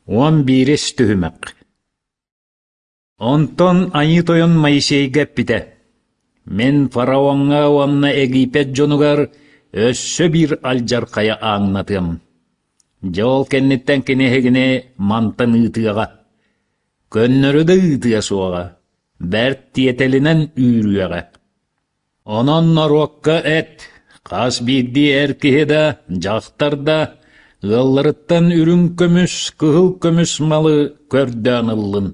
Уон биирис түһүмэх Онтон Айыы Тойон Моисейга эппитэ: «Мин фараоҥҥа уонна Египет дьонугар өссө биир алдьархайы ааҥнатыам. Дьэ ол кэнниттэн кини эһигини мантан ыытыаҕа, көннөрү да ыытыа суоҕа, бэрт тиэтэлинэн үүрүөҕэ. Онон норуокка эт, хас биирдии эр киһи да, дьахтар да ыалларыттан үрүҥ көмүс, кыһыл көмүс малы көрдөөн ыллын.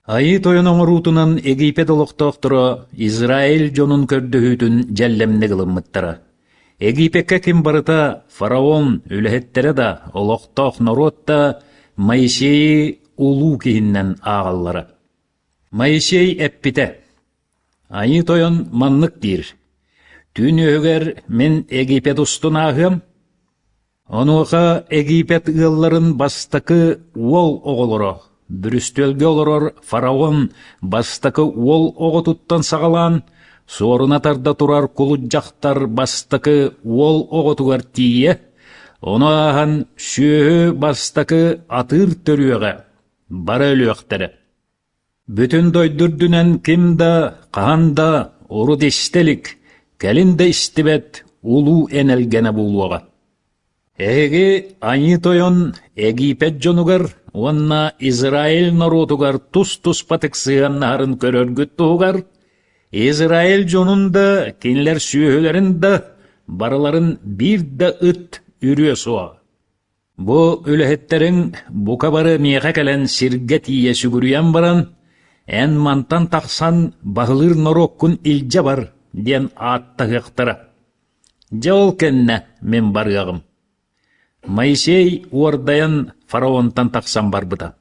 Айыы Тойон оҥоруутунан Египет олохтоохторо Израиль дьонун көрдөһүүтүн дьэллэмник ылыммыттара. Египеккэ ким барыта фараон үлэһиттэрэ да, олохтоох норуот да Моисейы улуу киһиннэн ааҕаллара. Моисей эппитэ: Айыы Тойон маннык диир: «Түүн үөһүгэр мин Египет устун ааһыам, онуоха Египет ыалларын бастакы уол оҕолоро, бүрүстүөлгэ олорор фараон бастакы уол оҕотуттан саҕалаан, суоруна тарда турар кулут дьахтар бастакы уол оҕотугар тиийэ, ону ааһан сүөһү бастакы атыыр төрүөҕэ бары өлүөхтэрэ. Бүтүн дойду үрдүнэн ким да, хаһан да урут истэ илик, кэлин да истибэт улуу энэлгэнэ буолуоҕа. Эһиги Айыы Тойон Египет дьонугар уонна Израиль норуотугар тус-туспатык сыһыаннаһарын көрөргүт туһугар, Израиль дьонун да, кинилэр сүөһүлэрин да барыларын биир да ыт үрүө суоҕа. Бу үлэһиттэриҥ бука бары миэхэ кэлэн сиргэ тиийэ сүгүрүйэн баран, эн мантан тахсан баһылыыр норуоккун илдьэ бар диэн ааттаһыахтара. Дьэ ол кэннэ мин барыаҕым. Моисей уордайан фараонтан тахсан барбыта.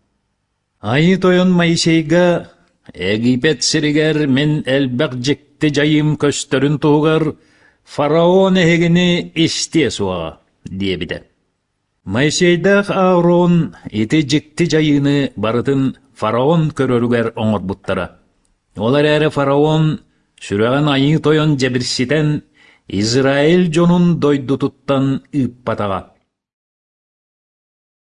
Айыы Тойон Моисейга Египет сиригэр мин элбэх дьикти дьайыым көстөрүн туһугар фараон эһигини истиэ суоҕа диэбитэ. Моисейдаах Аарон ити дьикти дьайыыны барытын фараон көрөрүгэр оҥорбуттара. Ол эрээри фараон сүрэҕин Айыы Тойон дьэбирситэн Израиль дьонун дойдутуттан ыыппатаҕа.